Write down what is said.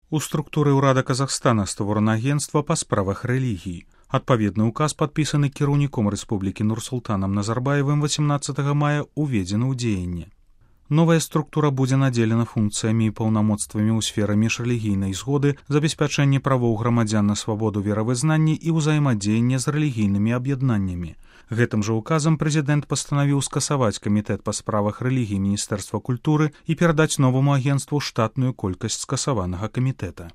У структуры ўрада Казахстана створана агентства па справах рэлігій. Адпаведны ўказ, падпісаны кіраўніком Рэспублікі Нурсултанам Назарбаевым 18 мая, уведзены ў дзеянне. Новая структура будзе надзелена функцыямі і паўнамоцтвамі ў сферы міжрэлігійнай згоды, забеспячэння правоў грамадзян на свабоду веравызнання і ўзаемадзеяння з рэлігійнымі аб'яднаннямі. Гэтым жа указам прэзідэнт пастанавіў скасаваць камітэт па справах рэлігій Міністэрства культуры і перадаць новаму агенству штатную колькасць скасаванага камітэта.